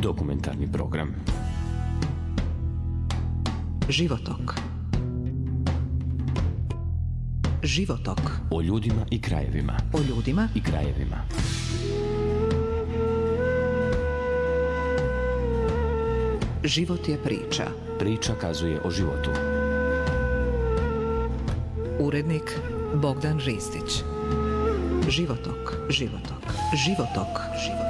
Dokumentarni program. Životok. Životok. O ljudima i krajevima. O ljudima i krajevima. Život je priča. Priča kazuje o životu. Urednik Bogdan Ristić. Životok. Životok. Životok. Životok.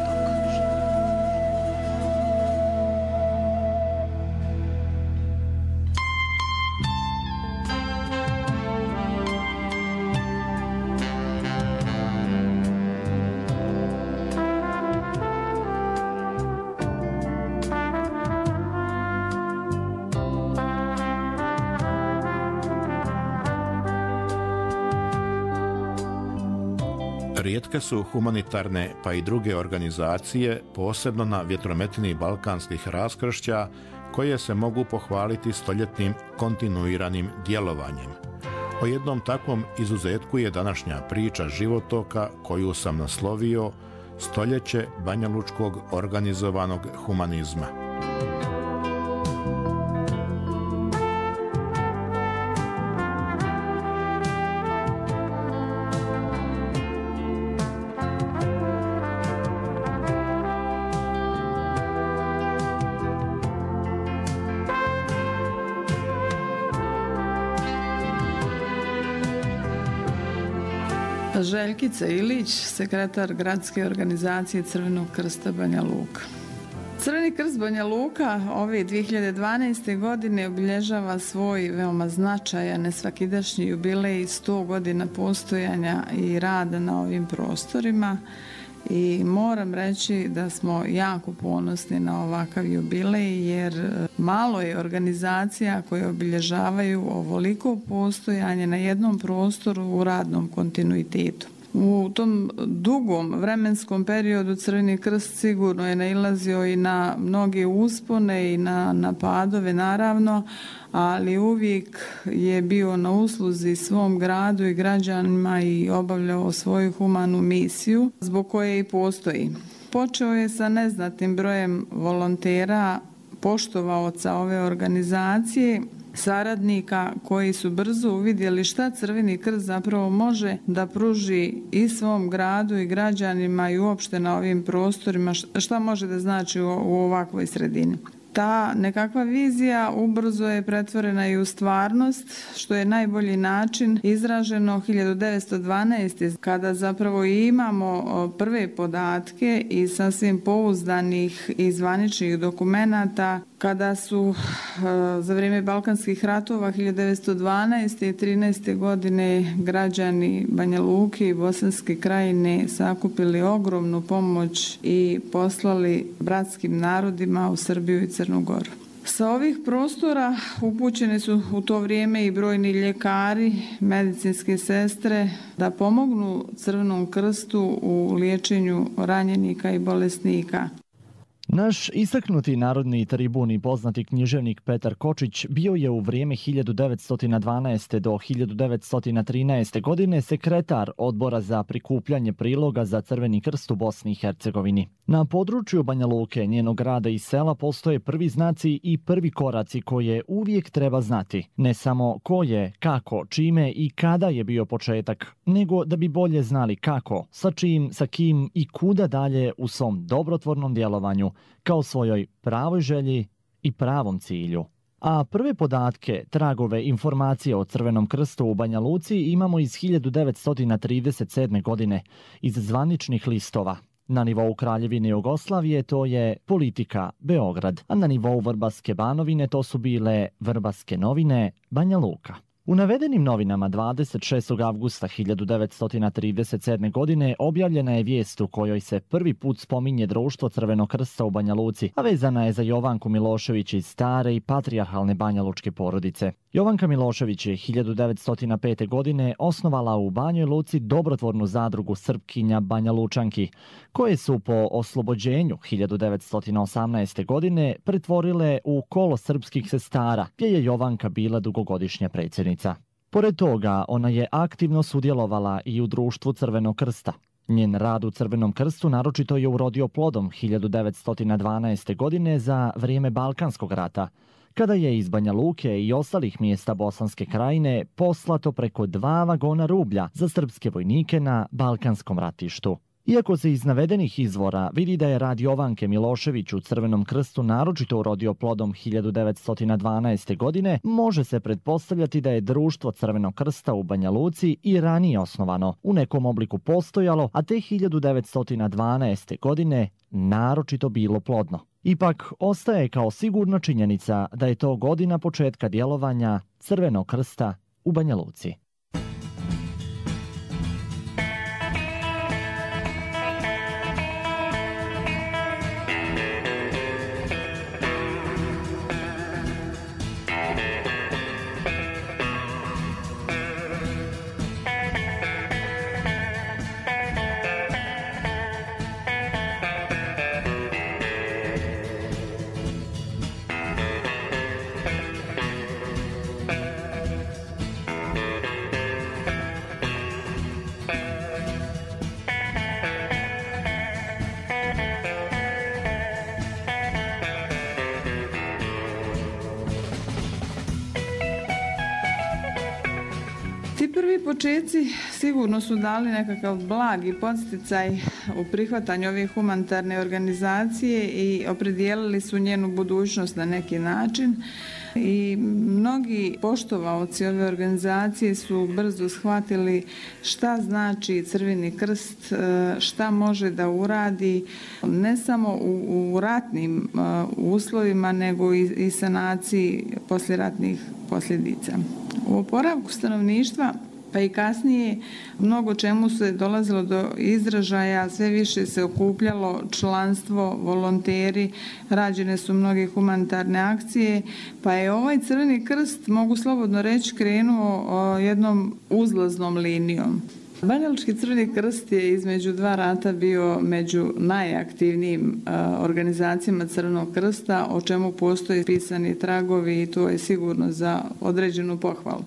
Rijetke su humanitarne pa i druge organizacije, posebno na vjetrometini balkanskih raskršća, koje se mogu pohvaliti stoljetnim kontinuiranim djelovanjem. O jednom takvom izuzetku je današnja priča životoka koju sam naslovio Stoljeće banjalučkog organizovanog humanizma. Željkica Ilić, sekretar gradske organizacije Crvenog krsta Banja Luka. Crveni krst Banja Luka ove 2012. godine obilježava svoj veoma značajan nesvakidašnji jubilej 100 godina postojanja i rada na ovim prostorima i moram reći da smo jako ponosni na ovakav jubilej jer malo je organizacija koje obilježavaju ovoliko postojanje na jednom prostoru u radnom kontinuitetu. U tom dugom vremenskom periodu Crveni krst sigurno je nailazio i na mnoge uspone i na padove naravno, ali uvijek je bio na usluzi svom gradu i građanima i obavljao svoju humanu misiju zbog koje i postoji. Počeo je sa neznatnim brojem volontera, poštovaoca ove organizacije, saradnika koji su brzo uvidjeli šta Crveni krst zapravo može da pruži i svom gradu i građanima i uopšte na ovim prostorima, šta može da znači u ovakvoj sredini. Ta nekakva vizija ubrzo je pretvorena i u stvarnost, što je najbolji način izraženo 1912. kada zapravo imamo prve podatke i sasvim pouzdanih i zvaničnih dokumenata kada su za vrijeme Balkanskih ratova 1912. i 13. godine građani Banja Luke i Bosanske krajine sakupili ogromnu pomoć i poslali bratskim narodima u Srbiju i Crnu Goru. Sa ovih prostora upućeni su u to vrijeme i brojni ljekari, medicinske sestre da pomognu Crvenom krstu u liječenju ranjenika i bolesnika. Naš istaknuti narodni tribun i poznati književnik Petar Kočić bio je u vrijeme 1912. do 1913. godine sekretar odbora za prikupljanje priloga za Crveni krst u Bosni i Hercegovini. Na području Banja Luke, njenog grada i sela postoje prvi znaci i prvi koraci koje uvijek treba znati. Ne samo ko je, kako, čime i kada je bio početak, nego da bi bolje znali kako, sa čim, sa kim i kuda dalje u svom dobrotvornom djelovanju, kao svojoj pravoj želji i pravom cilju. A prve podatke, tragove, informacije o Crvenom krstu u Banja Luci imamo iz 1937. godine, iz zvaničnih listova. Na nivou Kraljevine Jugoslavije to je Politika Beograd, a na nivou Vrbaske Banovine to su bile Vrbaske novine Banja Luka. U navedenim novinama 26. avgusta 1937. godine objavljena je vijest u kojoj se prvi put spominje društvo Crvenog krsta u Banja Luci, a vezana je za Jovanku Milošević iz stare i patrijarhalne banjalučke porodice. Jovanka Milošević je 1905. godine osnovala u Banjoj Luci dobrotvornu zadrugu Srpkinja Banja Lučanki, koje su po oslobođenju 1918. godine pretvorile u kolo srpskih sestara, gdje je Jovanka bila dugogodišnja predsjednica. Pored toga, ona je aktivno sudjelovala i u društvu Crvenog krsta. Njen rad u Crvenom krstu naročito je urodio plodom 1912. godine za vrijeme Balkanskog rata, kada je iz Banja Luke i ostalih mjesta Bosanske krajine poslato preko 2 vagona rublja za srpske vojnike na Balkanskom ratištu. Iako se iz navedenih izvora vidi da je rad Jovanke Milošević u Crvenom krstu naročito urodio plodom 1912. godine, može se pretpostavljati da je društvo Crvenog krsta u Banja Luci i ranije osnovano, u nekom obliku postojalo, a te 1912. godine naročito bilo plodno. Ipak, ostaje kao sigurna činjenica da je to godina početka djelovanja Crvenog krsta u Banja Luci. Prvi početci sigurno su dali nekakav blagi podsticaj u prihvatanju ove humanitarne organizacije i opredijelili su njenu budućnost na neki način. I mnogi poštovaoci ove organizacije su brzo shvatili šta znači Crveni krst, šta može da uradi ne samo u ratnim uslovima, nego i sanaciji poslijeratnih posljedica. U oporavku stanovništva pa i kasnije mnogo čemu se dolazilo do izražaja, sve više se okupljalo članstvo, volonteri, rađene su mnoge humanitarne akcije, pa je ovaj Crveni krst, mogu slobodno reći, krenuo jednom uzlaznom linijom. Banjalučki Crveni krst je između 2 rata bio među najaktivnijim organizacijama Crvenog krsta, o čemu postoje pisani tragovi i to je sigurno za određenu pohvalu.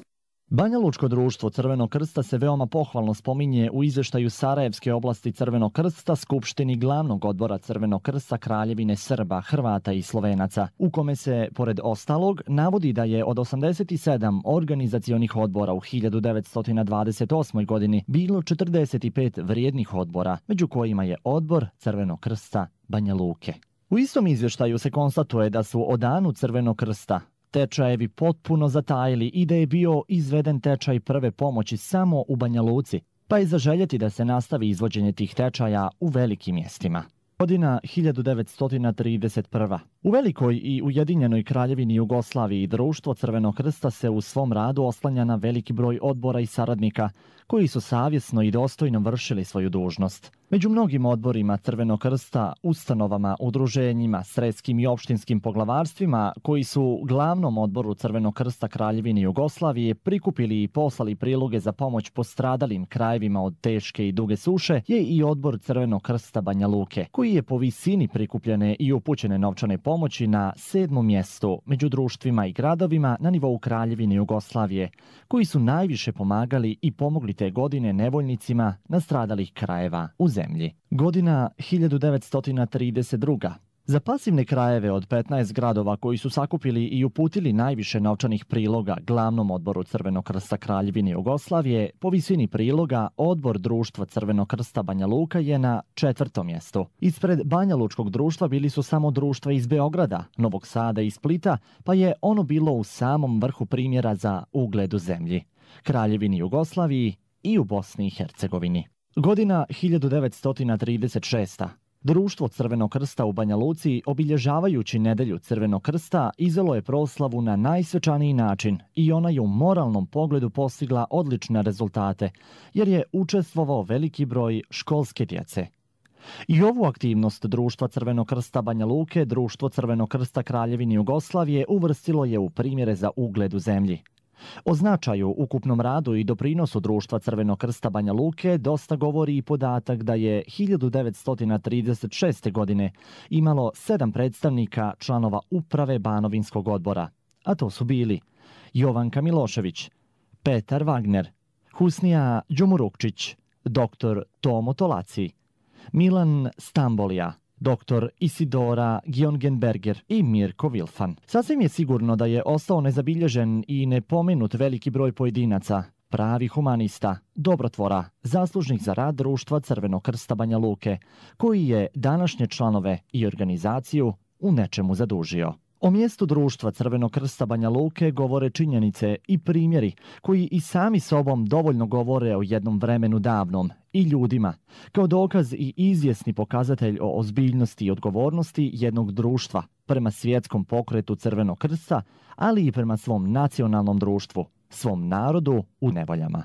Banjalučko društvo Crvenog krsta se veoma pohvalno spominje u izvještaju Sarajevske oblasti Crvenog krsta Skupštini glavnog odbora Crvenog krsta Kraljevine Srba, Hrvata i Slovenaca, u kome se, pored ostalog, navodi da je od 87 organizacionih odbora u 1928. godini bilo 45 vrijednih odbora, među kojima je odbor Crvenog krsta Banja Luke. U istom izvještaju se konstatuje da su o danu Crvenog krsta tečajevi potpuno zatajili i da je bio izveden tečaj prve pomoći samo u Banja Luci, pa je zaželjeti da se nastavi izvođenje tih tečaja u velikim mjestima. Godina 1931. U Velikoj i Ujedinjenoj Kraljevini Jugoslaviji društvo Crvenog krsta se u svom radu oslanja na veliki broj odbora i saradnika koji su savjesno i dostojno vršili svoju dužnost. Među mnogim odborima Crvenog krsta, ustanovama, udruženjima, sredskim i opštinskim poglavarstvima koji su glavnom odboru Crvenog krsta Kraljevine Jugoslavije prikupili i poslali priloge za pomoć postradalim krajevima od teške i duge suše je i odbor Crvenog krsta Banja Luke, koji je po visini prikupljene i upućene novčane pomoći na 7. mjestu među društvima i gradovima na nivou Kraljevine Jugoslavije, koji su najviše pomagali i pomogli te godine nevoljnicima nastradalih krajeva u zemlji. Godina 1932. Za pasivne krajeve od 15 gradova koji su sakupili i uputili najviše novčanih priloga glavnom odboru Crvenog krsta Kraljevine Jugoslavije, po visini priloga odbor društva Crvenog krsta Banja Luka je na 4. mjestu. Ispred Banjalučkog društva bili su samo društva iz Beograda, Novog Sada i Splita, pa je ono bilo u samom vrhu primjera za ugled u zemlji, Kraljevini Jugoslaviji i u Bosni i Hercegovini. Godina 1936. Društvo Crvenog krsta u Banja Luci, obilježavajući nedelju Crvenog krsta, izvelo je proslavu na najsvečaniji način i ona je u moralnom pogledu postigla odlične rezultate, jer je učestvovao veliki broj školske djece. I ovu aktivnost Društva Crvenog krsta Banja Luke, Društvo Crvenog krsta Kraljevine Jugoslavije uvrstilo je u primjere za ugled u zemlji. O značaju, ukupnom radu i doprinosu Društva Crvenog krsta Banja Luke dosta govori i podatak da je 1936. godine imalo 7 predstavnika članova uprave Banovinskog odbora, a to su bili Jovanka Milošević, Petar Wagner, Husnija Đumurukčić, dr. Tomo Tolaci, Milan Stambolija, dr. Isidora Giongenberger i Mirko Vilfan. Sasvim je sigurno da je ostao nezabilježen i nepomenut veliki broj pojedinaca, pravi humanista, dobrotvora, zaslužnih za rad društva Crvenog krsta Banja Luke, koji je današnje članove i organizaciju u nečemu zadužio. O mjestu društva Crvenog krsta Banja Luke govore činjenice i primjeri koji i sami sobom dovoljno govore o jednom vremenu davnom i ljudima, kao dokaz i izvjesni pokazatelj o ozbiljnosti i odgovornosti jednog društva prema svjetskom pokretu Crvenog krsta, ali i prema svom nacionalnom društvu, svom narodu u nevoljama.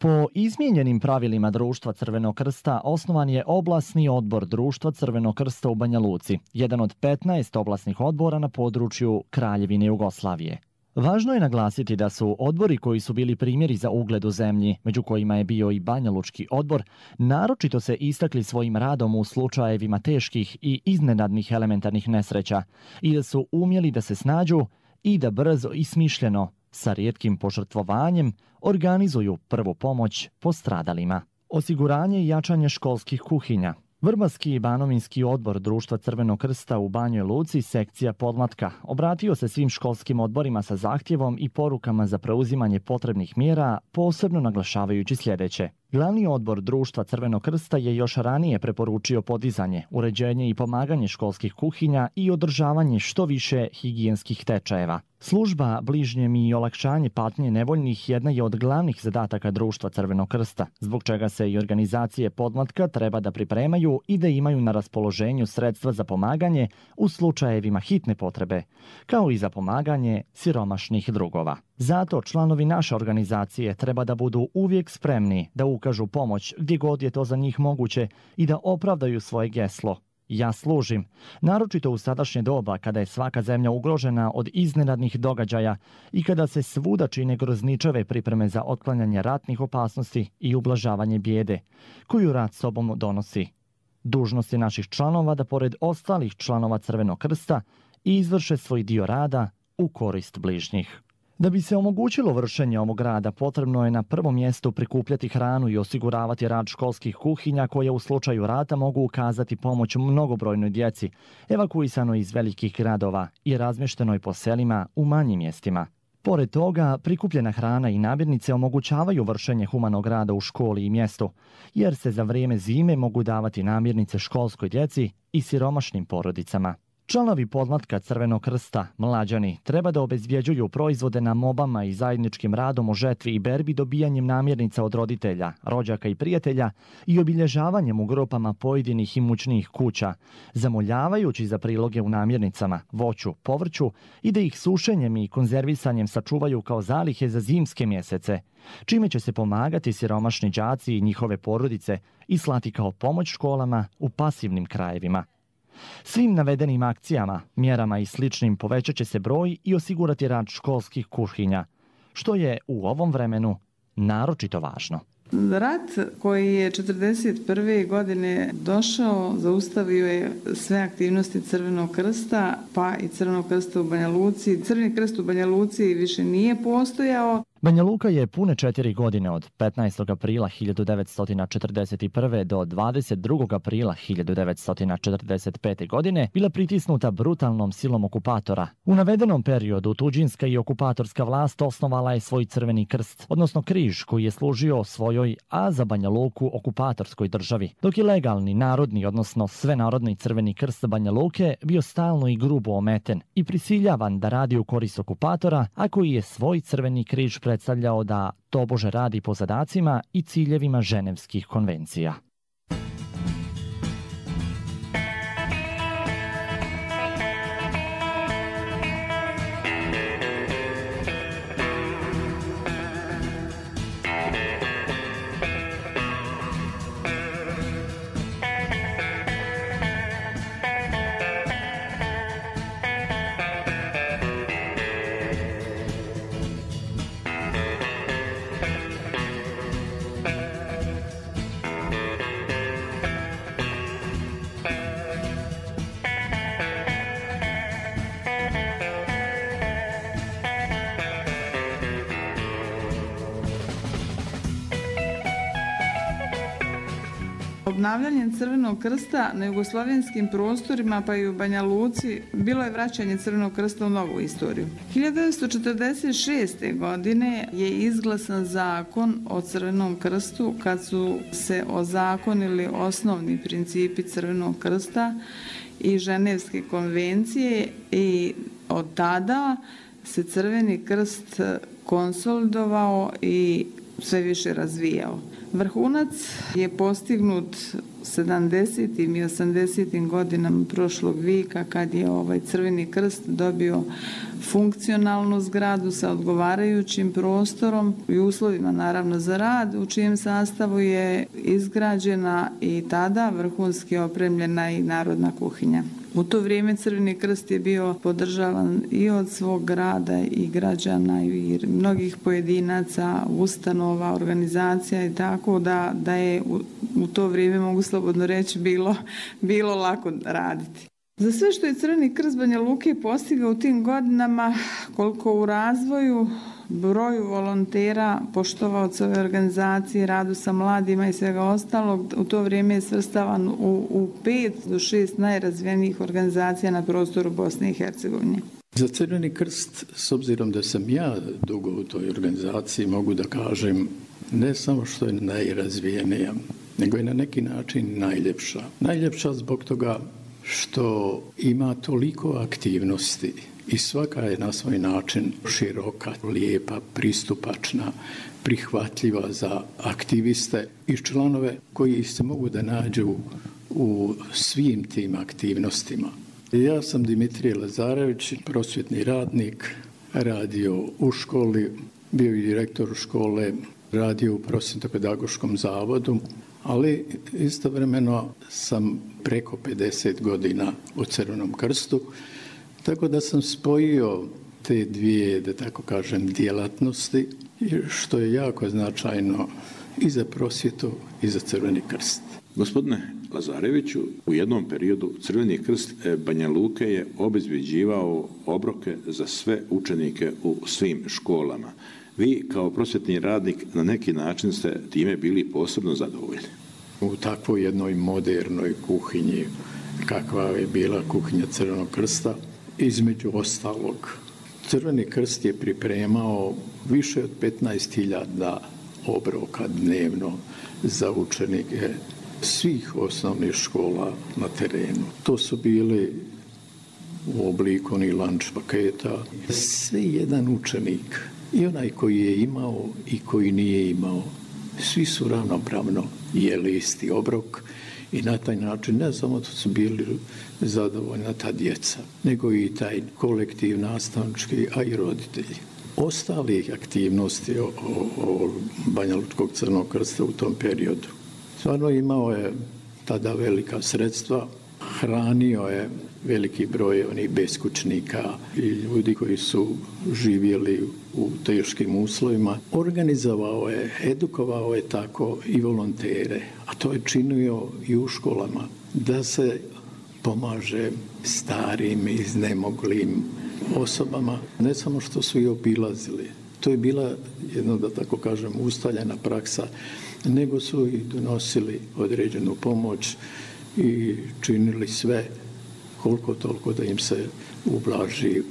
Po izmijenjenim pravilima društva Crvenog krsta osnovan je oblasni odbor društva Crvenog krsta u Banja Luci, jedan od 15 oblasnih odbora na području Kraljevine Jugoslavije. Važno je naglasiti da su odbori koji su bili primjeri za ugled u zemlji, među kojima je bio i Banja Lučki odbor, naročito se istakli svojim radom u slučajevima teških i iznenadnih elementarnih nesreća i da su umjeli da se snađu i da brzo i smišljeno, sa rijetkim požrtvovanjem, organizuju prvu pomoć postradalima. Osiguranje i jačanje školskih kuhinja. Vrbarski i Banovinski odbor društva Crvenog krsta u Banjoj Luci, sekcija Podmlatka, obratio se svim školskim odborima sa zahtjevom i porukama za preuzimanje potrebnih mjera, posebno naglašavajući sljedeće. Glavni odbor društva Crvenog krsta je još ranije preporučio podizanje, uređenje i pomaganje školskih kuhinja i održavanje što više higijenskih tečajeva. Služba bližnjem i olakšanje patnje nevoljnih jedna je od glavnih zadataka društva Crvenog krsta, zbog čega se i organizacije Podmlatka treba da pripremaju i da imaju na raspoloženju sredstva za pomaganje u slučajevima hitne potrebe, kao i za pomaganje siromašnih drugova. Zato članovi naše organizacije treba da budu uvijek spremni da ukažu pomoć gdje god je to za njih moguće i da opravdaju svoje geslo. Ja služim, naročito u sadašnje doba kada je svaka zemlja ugrožena od iznenadnih događaja i kada se svuda čine grozničave pripreme za otklanjanje ratnih opasnosti i ublažavanje bijede, koju rat sobom donosi. Dužnost je naših članova da pored ostalih članova Crvenog krsta izvrše svoj dio rada u korist bližnjih. Da bi se omogućilo vršenje ovog rada, potrebno je na prvom mjestu prikupljati hranu i osiguravati rad školskih kuhinja koje u slučaju rata mogu ukazati pomoć mnogobrojnoj djeci, evakuisanoj iz velikih gradova i razmještenoj po selima u manjim mjestima. Pored toga, prikupljena hrana i namirnice omogućavaju vršenje humanog rada u školi i mjestu, jer se za vrijeme zime mogu davati namirnice školskoj djeci i siromašnim porodicama. Članovi Podmlatka Crvenog krsta, mlađani, treba da obezvjeđuju proizvode na mobama i zajedničkim radom o žetvi i berbi dobijanjem namirnica od roditelja, rođaka i prijatelja i obilježavanjem u grupama pojedinih imućnijih kuća, zamoljavajući za priloge u namirnicama, voću, povrću i da ih sušenjem i konzervisanjem sačuvaju kao zalihe za zimske mjesece, čime će se pomagati siromašni đaci i njihove porodice i slati kao pomoć školama u pasivnim krajevima. Svim navedenim akcijama, mjerama i sličnim povećat će se broj i osigurati rad školskih kuhinja, što je u ovom vremenu naročito važno. Rat koji je 1941. godine došao, zaustavio je sve aktivnosti Crvenog krsta, pa i Crvenog krsta u Banja Luci. Crveni krst u Banja Luci više nije postojao. Banja Luka je pune 4 godine od 15. aprila 1941. do 22. aprila 1945. godine bila pritisnuta brutalnom silom okupatora. U navedenom periodu tuđinska i okupatorska vlast osnovala je svoj Crveni krst, odnosno križ koji je služio svojoj, a za Banja Luku okupatorskoj državi, dok je legalni, narodni, odnosno svenarodni Crveni krst Banja Luke bio stalno i grubo ometen i prisiljavan da radi u korist okupatora, a koji je svoj Crveni križ predstavljao da tobože radi po zadacima i ciljevima Ženevskih konvencija. Obnavljanjem Crvenog krsta na jugoslavenskim prostorima pa i u Banja Luci bilo je vraćanje Crvenog krsta u novu istoriju. 1946. godine je izglasan zakon o Crvenom krstu kad su se ozakonili osnovni principi Crvenog krsta i Ženevske konvencije i od tada se Crveni krst konsolidovao i sve više razvijao. Vrhunac je postignut 70. i 80. godinama prošlog vijeka kad je Crveni krst dobio funkcionalnu zgradu sa odgovarajućim prostorom i uslovima naravno za rad, u čijem sastavu je izgrađena i tada vrhunski opremljena i narodna kuhinja. U to vrijeme Crveni krst je bio podržavan i od svog grada i građana i mnogih pojedinaca, ustanova, organizacija i tako da je u to vrijeme, mogu slobodno reći, bilo lako raditi. Za sve što je Crveni krst Banja Luke postigao u tim godinama, koliko u razvoju, broju volontera, poštovaoca ove organizacije, radu sa mladima i svega ostalog, u to vrijeme je svrstavan u 5 do 6 najrazvijenijih organizacija na prostoru Bosne i Hercegovine. Za Crveni krst, s obzirom da sam ja dugo u toj organizaciji, mogu da kažem ne samo što je najrazvijenija, nego je na neki način najljepša. Najljepša zbog toga što ima toliko aktivnosti i svaka je na svoj način široka, lijepa, pristupačna, prihvatljiva za aktiviste i članove koji se mogu da nađu u svim tim aktivnostima. Ja sam Dimitrije Lazarević, prosvjetni radnik, radio u školi, bio i direktor škole, radio u prosvjetno-pedagoškom zavodu, ali istovremeno sam preko 50 godina u Crvenom krstu, tako da sam spojio te dvije, da tako kažem, djelatnosti, što je jako značajno i za prosvjetu i za Crveni krst. Gospodine Lazareviću, u jednom periodu Crveni krst Banja Luke je obezbjeđivao obroke za sve učenike u svim školama. Vi kao prosvjetni radnik na neki način ste time bili posebno zadovoljni. U takvoj jednoj modernoj kuhinji, kakva je bila kuhinja Crvenog krsta, između ostalog, Crveni krst je pripremao više od 15.000 obroka dnevno za učenike svih osnovnih škola na terenu. To su bili u obliku onih lunch paketa. Sve jedan učenik, i onaj koji je imao i koji nije imao, svi su ravnopravno jeli isti obrok i na taj način ne samo da su bili zadovoljna ta djeca, nego i taj kolektiv nastavnički, a i roditelji. Ostalih aktivnosti Banja Lučkog Crvenog krsta u tom periodu. Stvarno imao je tada velika sredstva, hranio je veliki broj onih beskućnika i ljudi koji su živjeli u teškim uslovima. Organizovao je, edukovao je tako i volontere, a to je činio i u školama, da se pomaže starim, iznemoglim osobama, ne samo što su ih obilazili. To je bila jedna, da tako kažem, ustaljena praksa, nego su i donosili određenu pomoć i činili sve koliko toliko da im se ublaži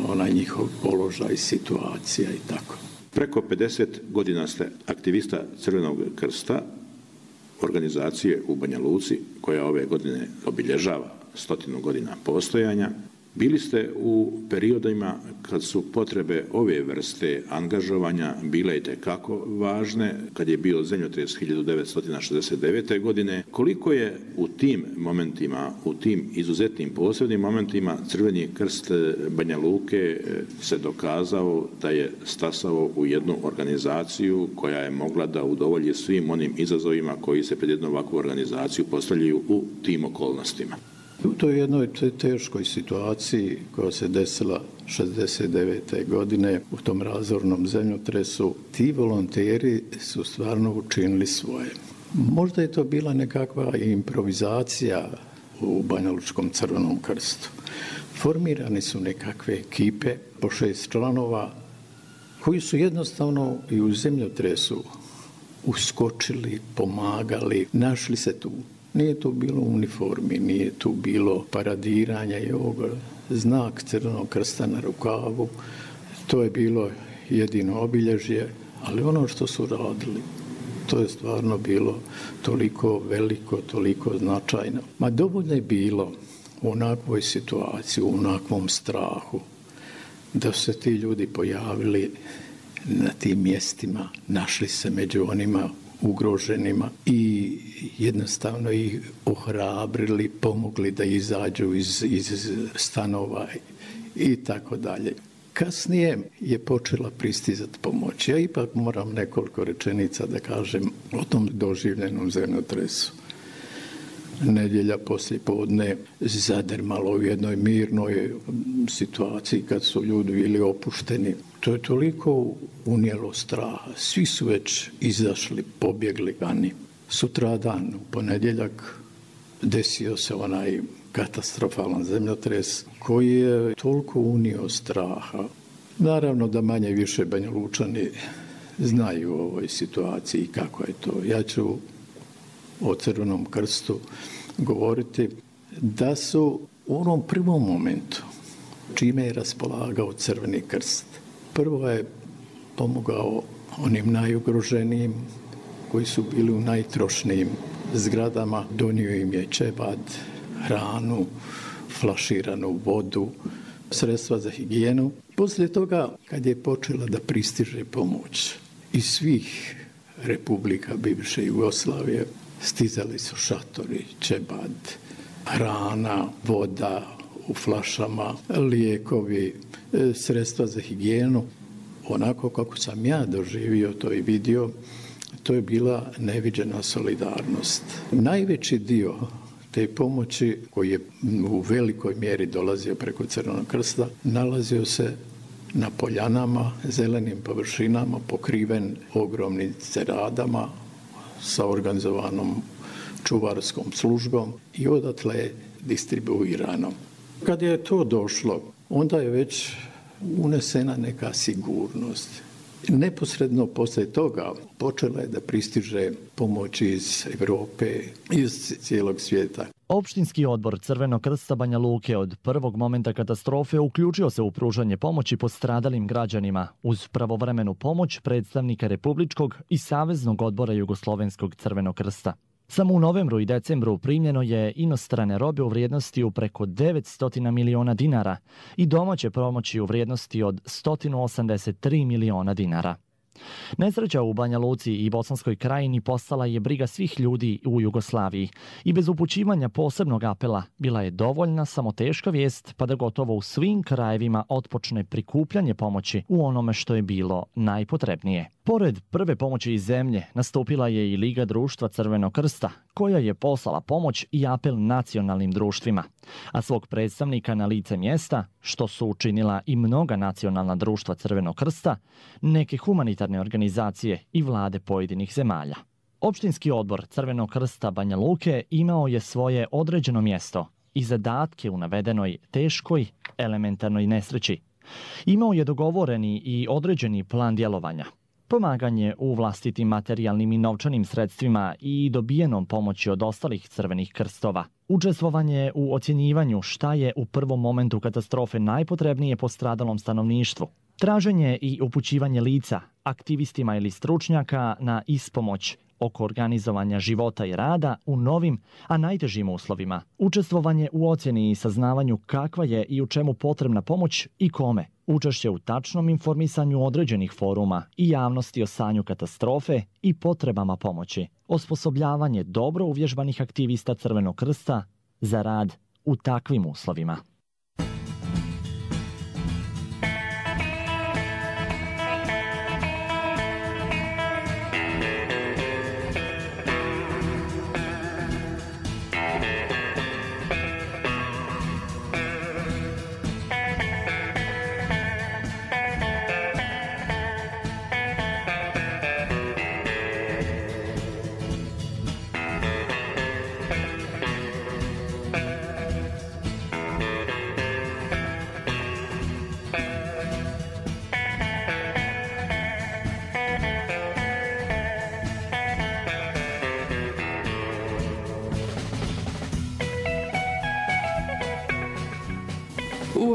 onaj njihov položaj, situacija i tako. Preko 50 godina ste aktivista Crvenog krsta, organizacije u Banja Luci, koja ove godine obilježava 100 godina postojanja. Bili ste u periodima kad su potrebe ove vrste angažovanja bile itekako važne, kad je bio zemljotres 1969. godine. Koliko je u tim momentima, u tim izuzetnim posebnim momentima Crveni krst Banja Luke se dokazao da je stasao u jednu organizaciju koja je mogla da udovolji svim onim izazovima koji se pred jednu ovakvu organizaciju postavljaju u tim okolnostima? U toj jednoj teškoj situaciji koja se desila 69. godine u tom razornom zemljotresu, ti volonteri su stvarno učinili svoje. Možda je to bila nekakva improvizacija u Banja Lučkom Crvenom krstu. Formirani su nekakve ekipe po 6 članova koji su jednostavno i u zemljotresu uskočili, pomagali, našli se tu. Nije tu bilo uniformi, nije tu bilo paradiranja i ovoga. Znak Crvenog krsta na rukavu, to je bilo jedino obilježje, ali ono što su radili, to je stvarno bilo toliko veliko, toliko značajno. Ma dovoljno je bilo u onakvoj situaciji, u onakvom strahu, da su se ti ljudi pojavili na tim mjestima, našli se među onima ugroženima i jednostavno ih ohrabrili, pomogli da izađu iz stanova i tako dalje. Kasnije je počela pristizati pomoć. Ja ipak moram nekoliko rečenica da kažem o tom doživljenom zemljotresu. Nedjelja poslijepodne zadrmalo u jednoj mirnoj situaciji kad su ljudi bili opušteni. To je toliko unijelo straha. Svi su već izašli, pobjegli vani. Sutradan, u ponedjeljak, desio se onaj katastrofalan zemljotres koji je toliko unio straha. Naravno da manje više Banjalučani znaju o ovoj situaciji kako je to. Ja ću o Crvenom krstu govoriti da su u onom prvom momentu čime je raspolagao Crveni krst. Prvo je pomogao onim najugroženijim koji su bili u najtrošnijim zgradama. Donio im je čebad, hranu, flaširanu vodu, sredstva za higijenu. Poslije toga, kad je počela da pristiže pomoć iz svih republika bivše Jugoslavije, stizali su šatori, čebad, hrana, voda u flašama, lijekovi, sredstva za higijenu. Onako kako sam ja doživio to i vidio, to je bila neviđena solidarnost. Najveći dio te pomoći, koji je u velikoj mjeri dolazio preko Crvenog krsta, nalazio se na poljanama, zelenim površinama, pokriven ogromnim ceradama sa organizovanom čuvarskom službom i odatle je distribuirano. Kad je to došlo, onda je već unesena neka sigurnost. Neposredno poslije toga počela je da pristiže pomoć iz Europe, iz cijelog svijeta. Opštinski odbor Crvenog krsta Banja Luke od prvog momenta katastrofe uključio se u pružanje pomoći postradalim građanima uz pravovremenu pomoć predstavnika Republičkog i Saveznog odbora Jugoslovenskog Crvenog krsta. Samo u novembru i decembru primljeno je inostrane robe u vrijednosti u preko 900 miliona dinara i domaće pomoći u vrijednosti od 183 miliona dinara. Nesreća u Banja Luci i Bosanskoj krajini postala je briga svih ljudi u Jugoslaviji i bez upućivanja posebnog apela bila je dovoljna samo teška vijest pa da gotovo u svim krajevima otpočne prikupljanje pomoći u onome što je bilo najpotrebnije. Pored prve pomoći iz zemlje nastupila je i Liga društva Crvenog krsta, koja je poslala pomoć i apel nacionalnim društvima, a svog predstavnika na lice mjesta, što su učinila i mnoga nacionalna društva Crvenog krsta, neke humanitarne organizacije i vlade pojedinih zemalja. Opštinski odbor Crvenog krsta Banja Luke imao je svoje određeno mjesto i zadatke u navedenoj teškoj elementarnoj nesreći. Imao je dogovoreni i određeni plan djelovanja. Pomaganje u vlastitim materijalnim i novčanim sredstvima i dobijenom pomoći od ostalih crvenih krstova. Učestvovanje u ocjenjivanju šta je u prvom momentu katastrofe najpotrebnije postradalom stanovništvu. Traženje i upućivanje lica, aktivistima ili stručnjaka na ispomoć oko organizovanja života i rada u novim, a najtežim uslovima. Učestvovanje u ocjeni i saznavanju kakva je i u čemu potrebna pomoć i kome. Učešće u tačnom informisanju određenih foruma i javnosti o stanju katastrofe i potrebama pomoći. Osposobljavanje dobro uvježbanih aktivista Crvenog krsta za rad u takvim uslovima.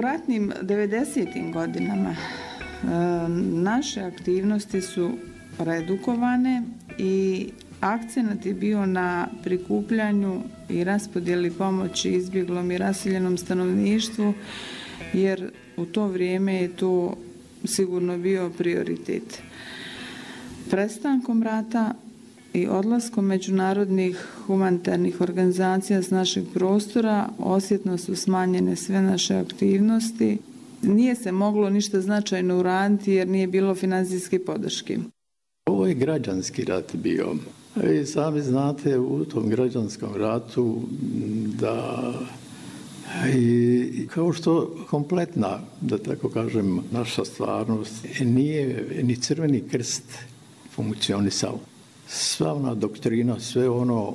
U ratnim 90. godinama naše aktivnosti su redukovane i akcenat je bio na prikupljanju i raspodjeli pomoći izbjeglom i raseljenom stanovništvu, jer u to vrijeme je to sigurno bio prioritet. Prestankom rata i odlaskom međunarodnih humanitarnih organizacija s našeg prostora osjetno su smanjene sve naše aktivnosti. Nije se moglo ništa značajno uraditi jer nije bilo financijske podrške. Ovo je građanski rat bio. I sami znate u tom građanskom ratu da i kao što kompletna, da tako kažem, naša stvarnost nije ni Crveni krst funkcionisao. Sva ona doktrina, sve ono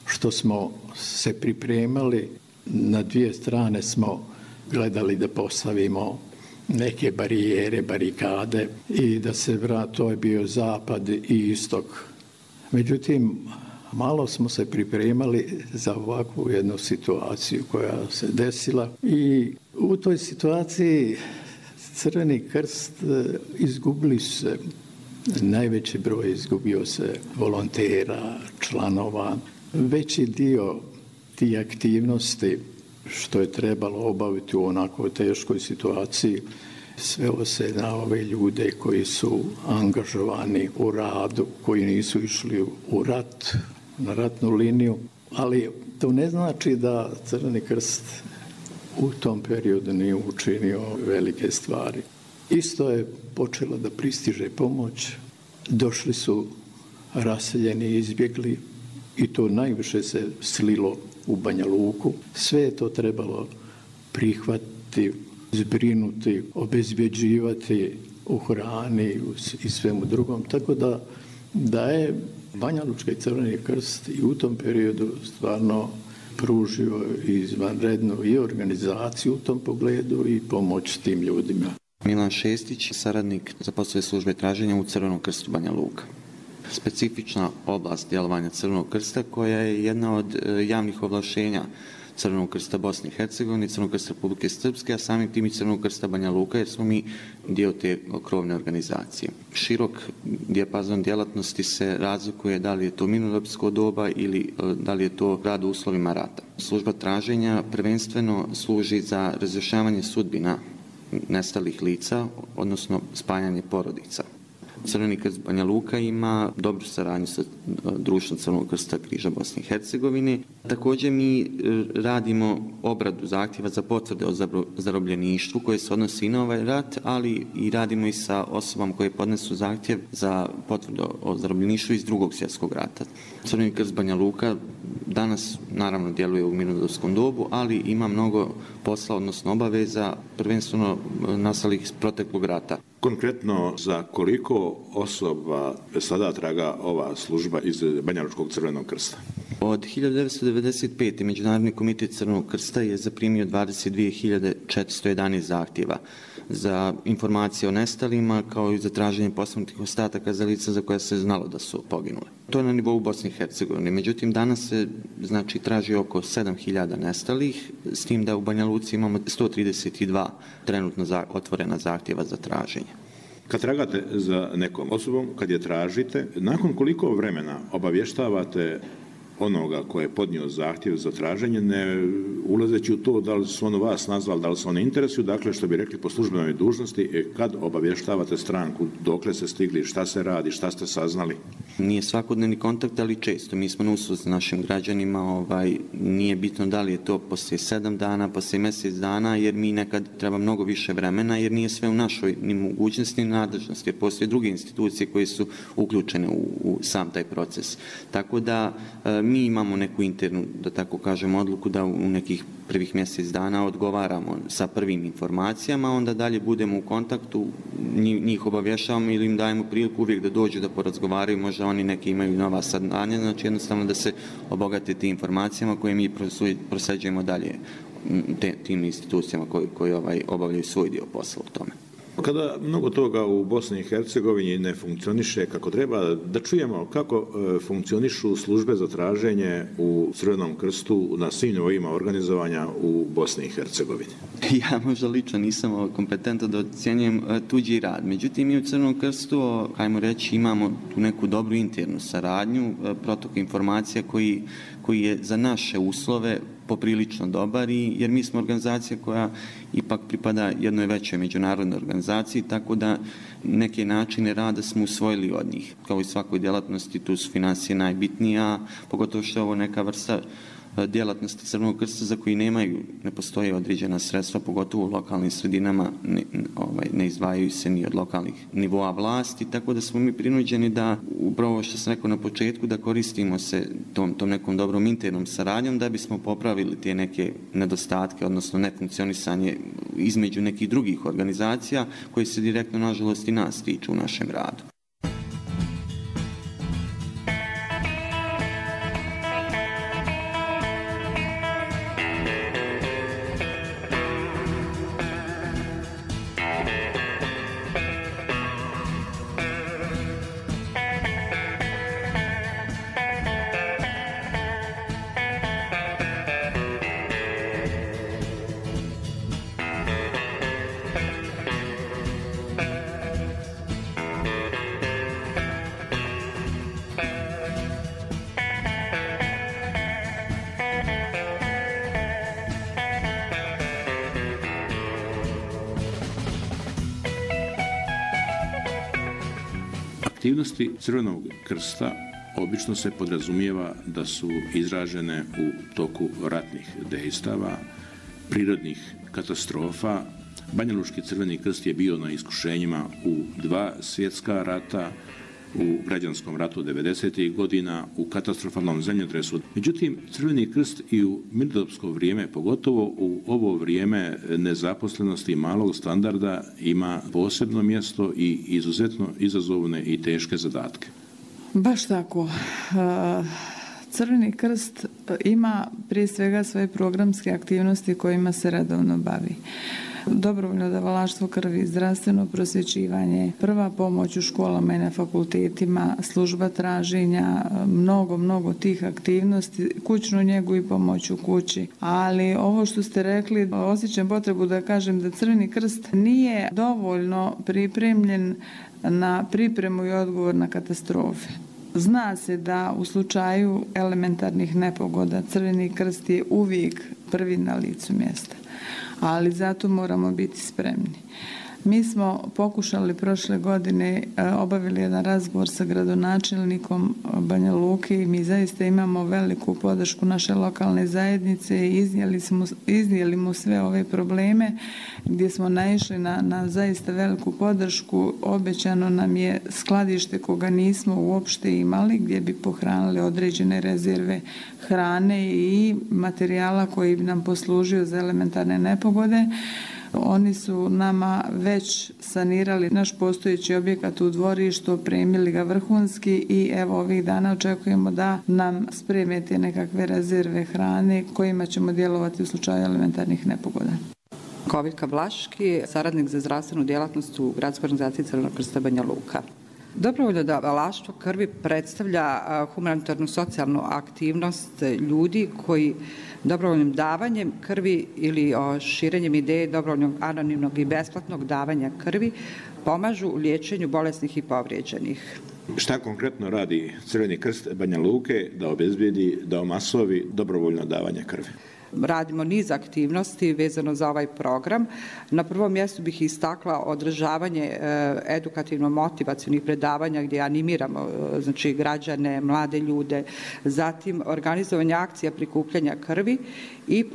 što smo se pripremali, na dvije strane smo gledali da postavimo neke barijere, barikade i da se vrati, to je bio zapad i istok. Međutim, malo smo se pripremali za ovakvu jednu situaciju koja se desila i u toj situaciji Crveni krst izgubili se, najveći broj izgubio se volontera, članova. Veći dio tih aktivnosti što je trebalo obaviti u onako teškoj situaciji svelo se na ove ljude koji su angažovani u radu, koji nisu išli u rat, na ratnu liniju, ali to ne znači da Crveni krst u tom periodu nije učinio velike stvari. Isto je počela da pristiže pomoć, došli su raseljeni, izbjegli i to najviše se slilo u Banja Luku. Sve je to trebalo prihvatiti, zbrinuti, obezbjeđivati u hrani i svemu drugom. Tako da je Banja Lučka i Crveni krst i u tom periodu stvarno pružio izvanrednu i organizaciju u tom pogledu i pomoć tim ljudima. Milan Šestić, saradnik za poslove službe traženja u Crvenom krstu Banja Luka. Specifična oblast djelovanja Crvenog krsta koja je jedna od javnih ovlaštenja Crvenog krsta Bosne i Hercegovine, Crvenog krsta Republike Srpske, a samim tim i Crvenog krsta Banja Luka, jer smo mi dio te krovne organizacije. Širok dijapazon djelatnosti se razlikuje da li je to mirnodopsko doba ili da li je to rad u uslovima rata. Služba traženja prvenstveno služi za razrješavanje sudbina nestalih lica, odnosno spajanje porodica. Crveni krst Banja Luka ima dobru saradnju sa društvom Crvenog krsta križa Bosne i Hercegovine. Također mi radimo obradu zahtjeva za potvrde o zarobljeništvu koje se odnosi i na ovaj rat, ali i radimo i sa osobama koje podnesu zahtjev za potvrdu o zarobljeništvu iz Drugog svjetskog rata. Crveni krst Banja Luka danas naravno djeluje u mirnodopskom dobu, ali ima mnogo posla, odnosno obaveza, prvenstveno nastalih iz proteklog rata. Konkretno, za koliko osoba sada traga ova služba iz Banja Lučkog Crvenog krsta? Od 1995. Međunarodni komitet Crvenog krsta je zaprimio 22.411 zahtjeva za informacije o nestalima, kao i za traženje posmrtnih ostataka za lica za koja se znalo da su poginule. To je na nivou Bosne i Hercegovine. Međutim, danas se traži oko 7.000 nestalih, s tim da u Banja Luci imamo 132 trenutno otvorena zahtjeva za traženje. Kad tragate za nekom osobom, kad je tražite, nakon koliko vremena obavještavate onoga ko je podnio zahtjev za traženje, ne ulazeći u to da li su ono vas nazvali, da li se oni interesuju, dakle što bi rekli po službenoj dužnosti, kad obavještavate stranku, dokle ste stigli, šta se radi, šta ste saznali? Nije svakodnevni kontakt, ali često. Mi smo na usluzi s našim građanima, nije bitno da li je to poslije 7 dana, poslije mjesec dana, jer mi nekad treba mnogo više vremena, jer nije sve u našoj ni mogućnosti ni nadležnosti, jer postoje druge institucije koje su uključene u sam taj proces. Tako da mi imamo neku internu, da tako kažem, odluku da u nekih prvih mjesec dana odgovaramo sa prvim informacijama, onda dalje budemo u kontaktu, njih obavješavamo ili im dajemo priliku uvijek da dođu da porazgovaraju, možda oni neki imaju nova saznanja, znači jednostavno da se obogate tim informacijama koje mi prosjeđujemo dalje tim institucijama koji obavljaju svoj dio posla u tome. Kada mnogo toga u Bosni i Hercegovini ne funkcioniše kako treba, da čujemo kako funkcionišu službe za traženje u Crvenom krstu na svim nivoima organizovanja u Bosni i Hercegovini. Ja možda lično nisam kompetentan da ocjenjujem tuđi rad. Međutim, mi u Crvenom krstu, hajmo reći, imamo tu neku dobru internu saradnju, protok informacija koji je za naše uslove poprilično dobar, jer mi smo organizacija koja ipak pripada jednoj većoj međunarodnoj organizaciji, tako da neke načine rada smo usvojili od njih. Kao i svakoj djelatnosti, tu su financije najbitnija, pogotovo što je ovo neka vrsta djelatnosti Crvenog krsta za koji ne postoje određena sredstva, pogotovo u lokalnim sredinama, ne izdvajaju se ni od lokalnih nivoa vlasti, tako da smo mi prinuđeni da, upravo što sam rekao na početku, da koristimo se tom nekom dobrom internom saradnjom da bismo popravili te neke nedostatke, odnosno nefunkcionisanje između nekih drugih organizacija koje se direktno, nažalost, i nas tiču u našem radu. Aktivnosti Crvenog krsta obično se podrazumijeva da su izražene u toku ratnih dejstava, prirodnih katastrofa. Banjalučki Crveni krst je bio na iskušenjima u 2 svjetska rata, u građanskom ratu 90. godina, u katastrofalnom zemljotresu. Međutim, Crveni krst i u mirnodopsko vrijeme, pogotovo u ovo vrijeme nezaposlenosti i malog standarda, ima posebno mjesto i izuzetno izazovne i teške zadatke. Baš tako. Crveni krst ima prije svega svoje programske aktivnosti kojima se redovno bavi. Dobrovoljno davalaštvo krvi, zdravstveno prosvjećivanje, prva pomoć u školama i na fakultetima, služba traženja, mnogo tih aktivnosti, kućnu njegu i pomoć u kući. Ali ovo što ste rekli, osjećam potrebu da kažem da Crveni krst nije dovoljno pripremljen na pripremu i odgovor na katastrofe. Zna se da u slučaju elementarnih nepogoda Crveni krst je uvijek prvi na licu mjesta, ali zato moramo biti spremni. Mi smo pokušali prošle godine, obavili jedan razgovor sa gradonačelnikom Banja Luke i mi zaista imamo veliku podršku naše lokalne zajednice i iznijeli mu sve ove probleme gdje smo naišli na zaista veliku podršku. Obećano nam je skladište koga nismo uopšte imali, gdje bi pohranili određene rezerve hrane i materijala koji bi nam poslužio za elementarne nepogode. Oni su nama već sanirali naš postojeći objekat u dvorištu, opremili ga vrhunski i evo ovih dana očekujemo da nam spreme te nekakve rezerve hrane kojima ćemo djelovati u slučaju elementarnih nepogoda. Koviljka Vlaški, saradnik za zdravstvenu djelatnost u Gradskoj organizaciji Crvenog krsta Banja Luka. Dobrovoljno davalaštvo krvi predstavlja humanitarnu socijalnu aktivnost ljudi koji dobrovoljnim davanjem krvi ili širenjem ideje dobrovoljnog, anonimnog i besplatnog davanja krvi pomažu u liječenju bolesnih i povrijeđenih. Šta konkretno radi Crveni krst Banja Luke da obezbijedi, da omasovi dobrovoljno davanje krvi? Radimo niz aktivnosti vezano za ovaj program. Na prvom mjestu bih istakla održavanje edukativno-motivacionih predavanja gdje animiramo građane, mlade ljude, zatim organizovanje akcija prikupljanja krvi i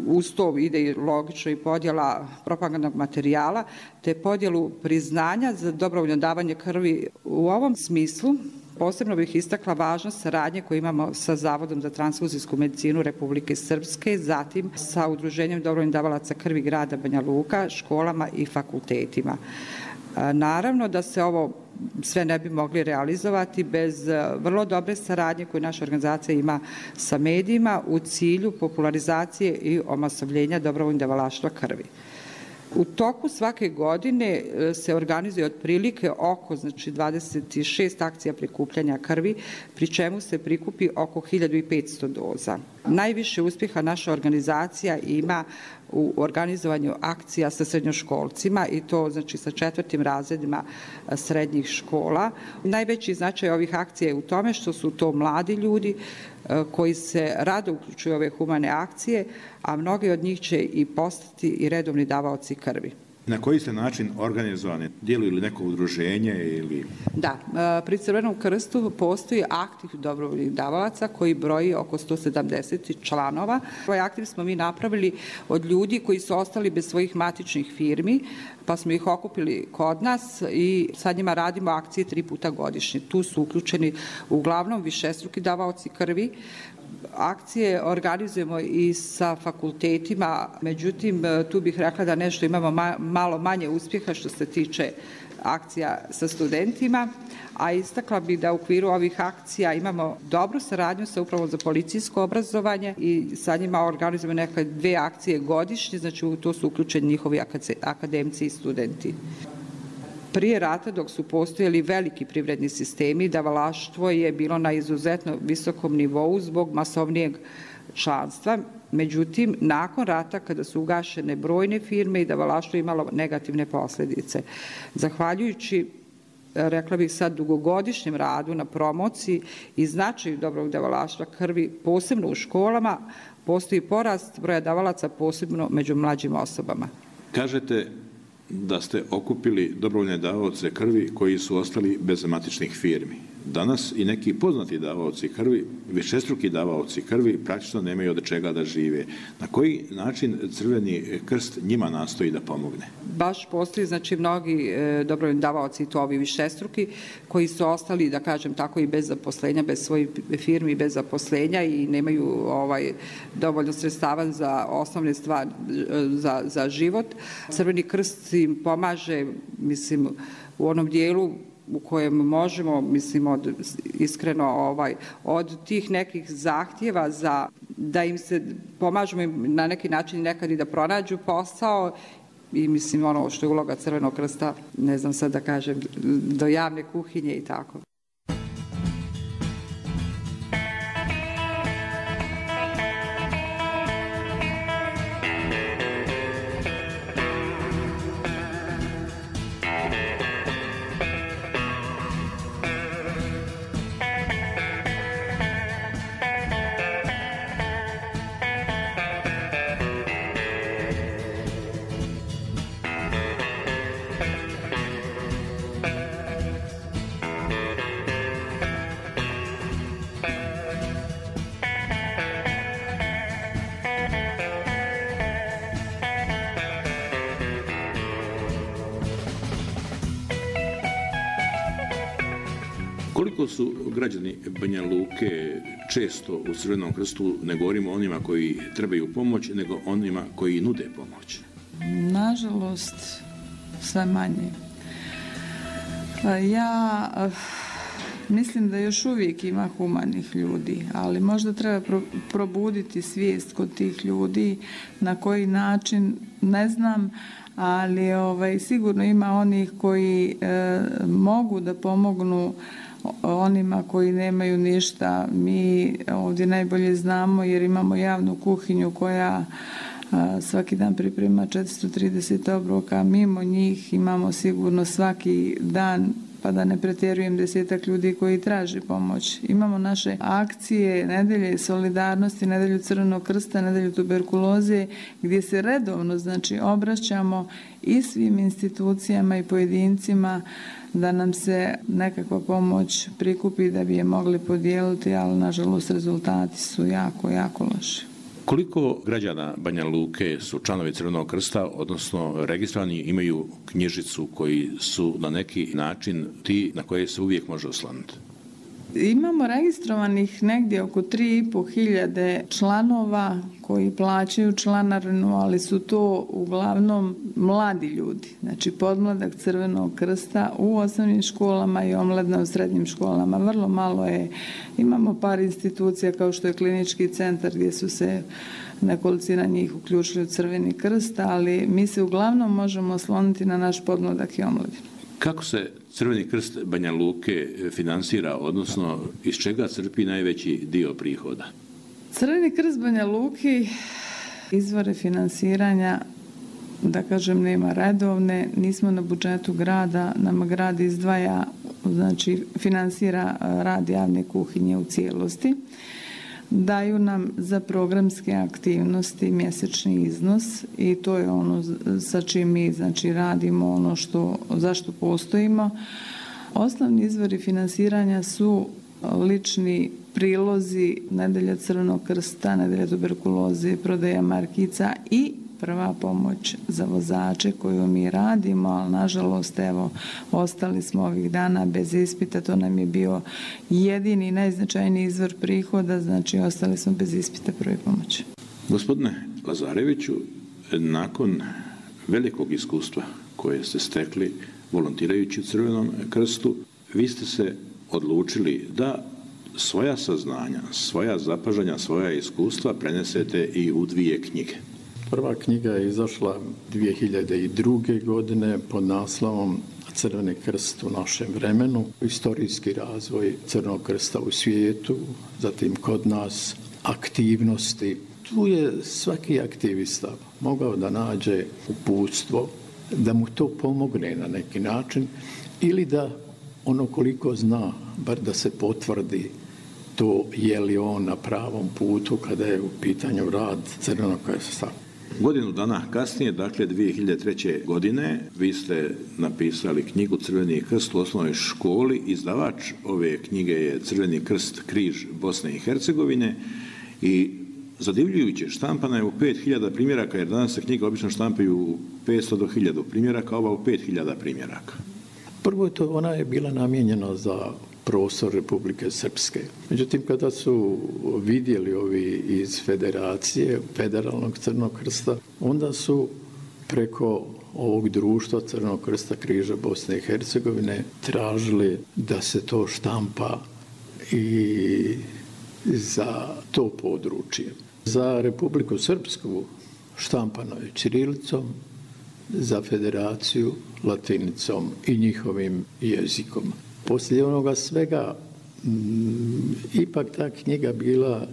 uz to ide logično i podjela propagandnog materijala te podjelu priznanja za dobrovoljno davanje krvi. U ovom smislu posebno bih istakla važnost saradnje koju imamo sa Zavodom za transfuzijsku medicinu Republike Srpske, zatim sa Udruženjem dobrovoljnih davalaca krvi grada Banja Luka, školama i fakultetima. Naravno da se ovo sve ne bi mogli realizovati bez vrlo dobre saradnje koju naša organizacija ima sa medijima u cilju popularizacije i omasovljenja dobrovoljnog davalaštva krvi. U toku svake godine se organizuje otprilike oko 26 akcija prikupljanja krvi, pri čemu se prikupi oko 1500 doza. Najviše uspjeha naša organizacija ima u organizovanju akcija sa srednjoškolcima i to sa 4. razredima srednjih škola. Najveći značaj ovih akcija je u tome što su to mladi ljudi koji se rado uključuju u ove humane akcije, a mnogi od njih će i postati i redovni davaoci krvi. Na koji ste način organizovani? Djeluju li neko udruženje ili... Da, pri Crvenom krstu postoji aktiv dobrovoljnih davalaca koji broji oko 170 članova. Ovaj aktiv smo mi napravili od ljudi koji su ostali bez svojih matičnih firmi, pa smo ih okupili kod nas i sa njima radimo akcije 3 puta godišnje. Tu su uključeni uglavnom višestruki davaoci krvi. Akcije organizujemo i sa fakultetima, međutim tu bih rekla da nešto imamo malo manje uspjeha što se tiče akcija sa studentima, a istakla bih da u okviru ovih akcija imamo dobru saradnju sa Upravom za policijsko obrazovanje i sa njima organizujemo neke 2 akcije godišnje, znači u to su uključeni njihovi akademci i studenti. Prije rata, dok su postojali veliki privredni sistemi, davalaštvo je bilo na izuzetno visokom nivou zbog masovnijeg članstva. Međutim, nakon rata, kada su ugašene brojne firme i davalaštvo je imalo negativne posljedice. Zahvaljujući, rekla bih sad, dugogodišnjem radu na promociji i značaju dobrog davalaštva krvi, posebno u školama, postoji porast broja davalaca, posebno među mlađim osobama. Kažete da ste okupili dobrovoljne davaoce krvi koji su ostali bez matičnih firmi. Danas i neki poznati davaoci krvi, višestruki davaoci krvi, praktično nemaju od čega da žive. Na koji način Crveni krst njima nastoji da pomogne? Baš postoji, mnogi dobrovoljni davaoci, i to ovi višestruki, koji su ostali, da kažem tako, i bez zaposlenja, bez svojih firmi, bez zaposlenja i nemaju dovoljno sredstava za osnovne stvari, za život. Crveni krst im pomaže, u onom dijelu u kojem možemo, iskreno, od tih nekih zahtjeva da im se pomažemo im na neki način nekad i da pronađu posao i ono što je uloga Crvenog krsta, ne znam sad da kažem, do javne kuhinje i tako. Koliko su građani Banja Luke često u Crvenom krstu, ne govorimo o onima koji trebaju pomoć, nego onima koji nude pomoć? Nažalost, sve manje. Ja mislim da još uvijek ima humanih ljudi, ali možda treba probuditi svijest kod tih ljudi, na koji način, ne znam, ali sigurno ima onih koji mogu da pomognu onima koji nemaju ništa. Mi ovdje najbolje znamo jer imamo javnu kuhinju koja svaki dan priprema 430 obroka. Mimo njih imamo sigurno svaki dan, pa da ne pretjerujem, 10-ak ljudi koji traži pomoć. Imamo naše akcije, nedelje solidarnosti, nedelju Crvenog krsta, nedelju tuberkuloze, gdje se redovno obraćamo i svim institucijama i pojedincima da nam se nekakva pomoć prikupi da bi je mogli podijeliti, ali nažalost rezultati su jako, jako loši. Koliko građana Banja Luke su članovi Crvenog krsta, odnosno registrovani, imaju knjižicu koji su na neki način ti na koje se uvijek može osloniti? Imamo registrovanih negdje oko 3.500 članova koji plaćaju članarinu, ali su to uglavnom mladi ljudi. Znači podmladak Crvenog krsta u osnovnim školama i omladina u srednjim školama. Vrlo malo je. Imamo par institucija kao što je klinički centar gdje su se nekolicina njih uključili u Crveni krst, ali mi se uglavnom možemo osloniti na naš podmladak i omladinu. Kako se Crveni krst Banja Luke finansira, odnosno iz čega crpi najveći dio prihoda? Crveni krst Banja Luki izvore finansiranja, da kažem, nema redovne, nismo na budžetu grada, nama grad izdvaja, znači finansira rad javne kuhinje u cijelosti. Daju nam za programske aktivnosti mjesečni iznos i to je ono sa čim mi, znači, radimo, ono zašto postojimo. Osnovni izvori finansiranja su lični prilozi Nedelja Crvenog krsta, Nedelja tuberkuloze, prodaja markica i prva pomoć za vozače koju mi radimo, ali nažalost, evo, ostali smo ovih dana bez ispita, to nam je bio jedini najznačajniji izvor prihoda, znači ostali smo bez ispita prve pomoći. Gospodine Lazareviću, nakon velikog iskustva koje ste stekli volontirajući u Crvenom krstu, vi ste se odlučili da svoja saznanja, svoja zapažanja, svoja iskustva prenesete i u 2 knjige. Prva knjiga je izašla 2002. godine pod naslovom Crveni krst u našem vremenu, istorijski razvoj Crvenog krsta u svijetu, zatim kod nas aktivnosti. Tu je svaki aktivista mogao da nađe uputstvo, da mu to pomogne na neki način ili da ono koliko zna, bar da se potvrdi to je li on na pravom putu kada je u pitanju rad Crvenog krsta. Godinu dana kasnije, dakle 2003. godine, vi ste napisali knjigu Crveni krst u osnovnoj školi. Izdavač ove knjige je Crveni krst križ Bosne i Hercegovine i zadivljujuće štampana je u 5000 primjeraka, jer danas se knjige obično štampaju u 500 do 1000 primjeraka, ova u 5000 primjeraka. Prvo ona je bila namijenjena za prostor Republike Srpske. Međutim, kada su vidjeli ovi iz Federacije, Federalnog Crvenog krsta, onda su preko ovog društva Crvenog krsta križa Bosne i Hercegovine tražili da se to štampa i za to područje. Za Republiku Srpsku štampano je ćirilicom, za Federaciju latinicom i njihovim jezikom. Poslije onoga svega, ipak ta knjiga bila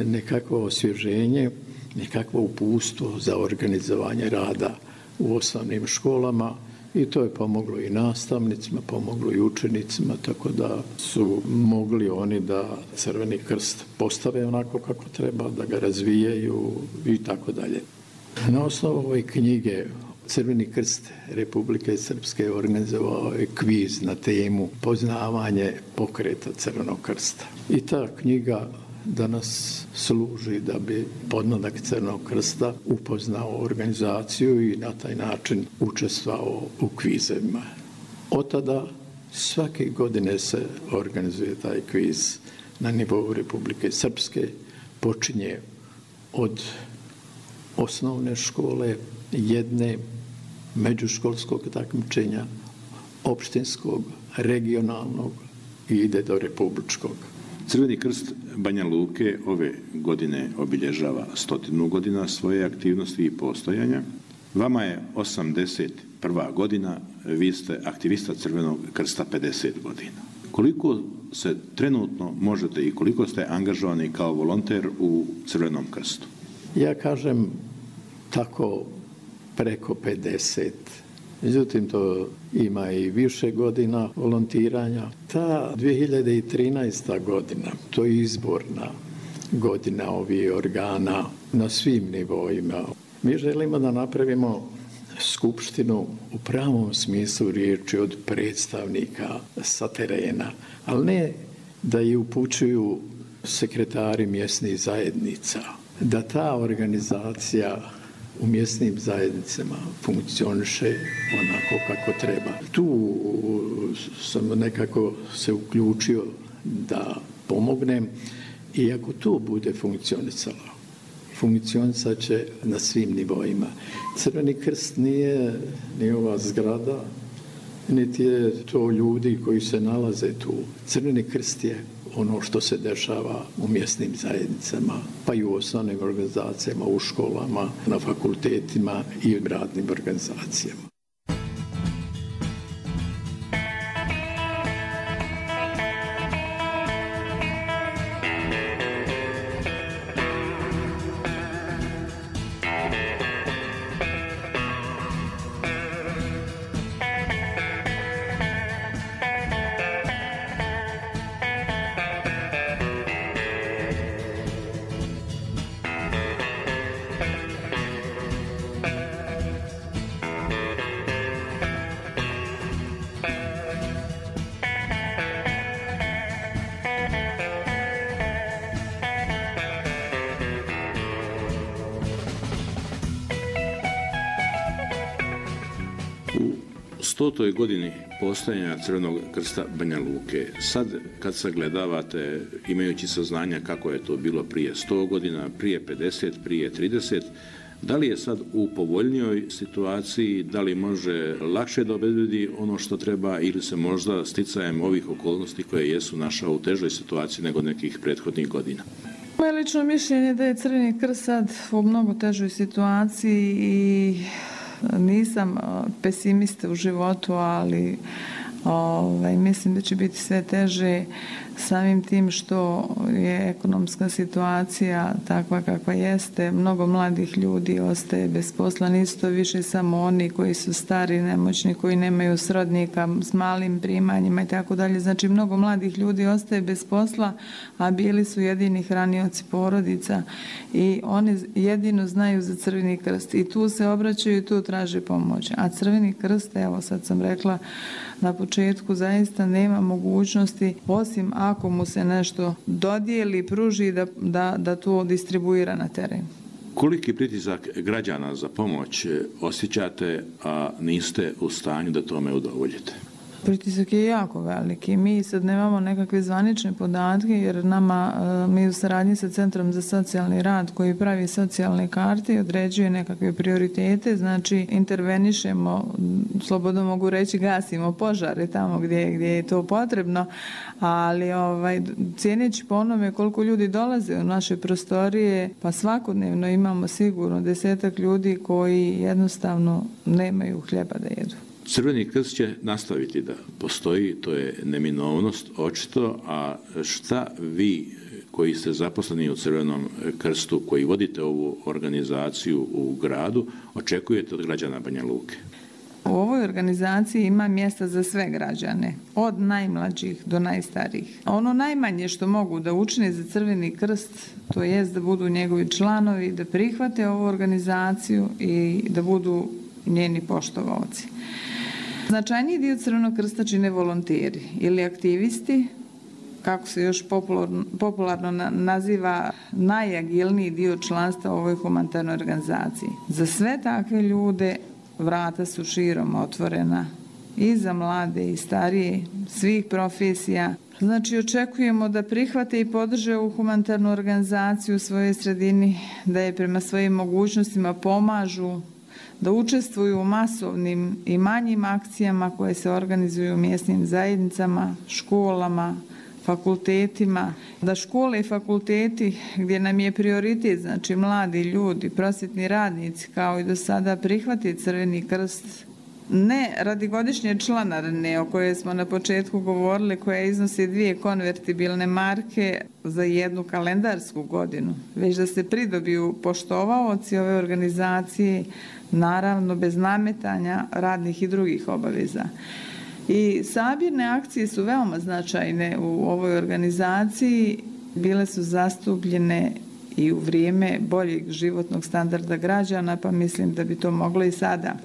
nekakvo osvježenje, nekakvo uputstvo za organizovanje rada u osnovnim školama i to je pomoglo i nastavnicima, pomoglo i učenicima, tako da su mogli oni da Crveni krst postave onako kako treba, da ga razvijaju i tako dalje. Na osnovu ove knjige Crveni krst Republike Srpske organizovao je kviz na temu poznavanje pokreta Crvenog krsta. I ta knjiga danas služi da bi podmladak Crvenog krsta upoznao organizaciju i na taj način učestvovao u kvizevima. Od tada svake godine se organizuje taj kviz na nivou Republike Srpske. Počinje od osnovne škole, jedne, međuškolskog takmičenja, opštinskog, regionalnog i ide do republičkog. Crveni krst Banja Luke ove godine obilježava 100 godina svoje aktivnosti i postojanja. Vama je 81. godina, vi ste aktivista Crvenog krsta 50 godina. Koliko se trenutno možete i koliko ste angažovani kao volonter u Crvenom krstu? Ja kažem tako preko 50. Međutim, to ima i više godina volontiranja. Ta 2013. godina, to je izborna godina ovih organa na svim nivoima. Mi želimo da napravimo skupštinu u pravom smislu riječi od predstavnika sa terena, ali ne da je upućuju sekretari mjesnih zajednica, da ta organizacija u mjesnim zajednicama funkcioniše onako kako treba. Tu sam nekako se uključio da pomognem i ako to bude funkcionisat će na svim nivoima. Crveni krst nije ni ova zgrada, niti je to ljudi koji se nalaze tu. Crveni krst je ono što se dešava u mjesnim zajednicama, pa i u osnovnim organizacijama, u školama, na fakultetima i u radnim organizacijama. U 100. godini postojanja Crvenog krsta Banja Luke, sad kad sagledavate, imajući saznanja kako je to bilo prije 100 godina, prije 50, prije 30, da li je sad u povoljnijoj situaciji, da li može lakše da obezbedi ono što treba ili se možda sticajem ovih okolnosti koje jesu našao u težoj situaciji nego nekih prethodnih godina? Moje lično mišljenje je da je Crveni krst sad u mnogo težoj situaciji i nisam pesimista u životu, ali mislim da će biti sve teže samim tim što je ekonomska situacija takva kakva jeste. Mnogo mladih ljudi ostaje bez posla, nisu to više samo oni koji su stari, nemoćni, koji nemaju srodnika s malim primanjima i tako dalje. Znači, mnogo mladih ljudi ostaje bez posla, a bili su jedini hranioci porodica i oni jedino znaju za Crveni krst i tu se obraćaju i tu traže pomoć. A Crveni krst, evo sad sam rekla na početku, zaista nema mogućnosti osim ako mu se nešto dodijeli, pruži da to distribuira na teren. Koliki pritisak građana za pomoć osjećate, a niste u stanju da tome udovoljite? Pritisak je jako veliki. Mi sad nemamo nekakve zvanične podatke jer mi u saradnji sa Centrom za socijalni rad koji pravi socijalne karte i određuje nekakve prioritete, znači intervenišemo, slobodno mogu reći gasimo požare tamo gdje je to potrebno, ali cijeneći po onome koliko ljudi dolaze u naše prostorije, pa svakodnevno imamo sigurno 10-ak ljudi koji jednostavno nemaju hljeba da jedu. Crveni krst će nastaviti da postoji, to je neminovnost očito, a šta vi koji ste zaposleni u Crvenom krstu, koji vodite ovu organizaciju u gradu, očekujete od građana Banja Luke? U ovoj organizaciji ima mjesta za sve građane, od najmlađih do najstarijih. Ono najmanje što mogu da učine za Crveni krst, to jest da budu njegovi članovi, da prihvate ovu organizaciju i da budu njeni poštovaoci. Značajniji dio Crvenog krsta čine volonteri ili aktivisti, kako se još popularno naziva, najagilniji dio članstva u ovoj humanitarnoj organizaciji. Za sve takve ljude vrata su širom otvorena i za mlade i starije, svih profesija. Znači, očekujemo da prihvate i podrže ovu humanitarnu organizaciju u svojoj sredini, da je prema svojim mogućnostima pomažu, da učestvuju u masovnim i manjim akcijama koje se organizuju u mjesnim zajednicama, školama, fakultetima, da škole i fakulteti gdje nam je prioritet, znači mladi ljudi, prosvjetni radnici, kao i do sada prihvati Crveni krst, ne radi godišnje članarine o kojoj smo na početku govorili, koja iznosi 2 konvertibilne marke za jednu kalendarsku godinu, već da se pridobiju poštovaoci ove organizacije, naravno bez nametanja radnih i drugih obaveza. I sabirne akcije su veoma značajne u ovoj organizaciji, bile su zastupljene i u vrijeme boljeg životnog standarda građana, pa mislim da bi to moglo i sada.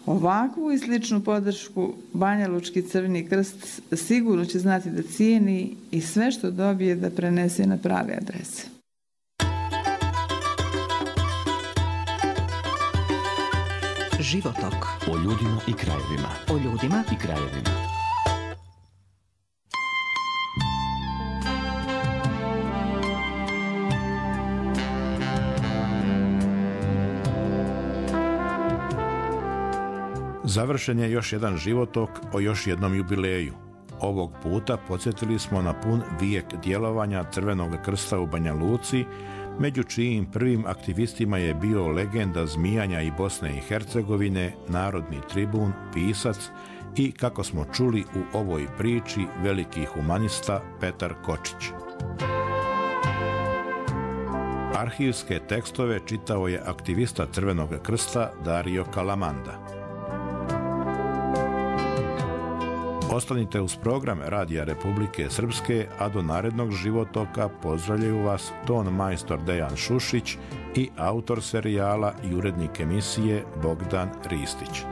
Ovakvu i sličnu podršku Banjalučki Crveni krst sigurno će znati da cijeni i sve što dobije da prenese na prave adrese. Životok. O ljudima i krajevima. O ljudima i krajevima. Završen je još jedan životok o još jednom jubileju. Ovog puta podsjetili smo na pun vijek djelovanja Crvenog krsta u Banja Luci, među čijim prvim aktivistima je bio legenda zmijanja i Bosne i Hercegovine, narodni tribun, pisac i, kako smo čuli u ovoj priči, veliki humanista Petar Kočić. Arhivske tekstove čitao je aktivista Crvenog krsta Dario Kalamanda. Ostanite uz program Radija Republike Srpske, a do narednog životoka pozdravljaju vas ton majstor Dejan Šušić i autor serijala i urednik emisije Bogdan Ristić.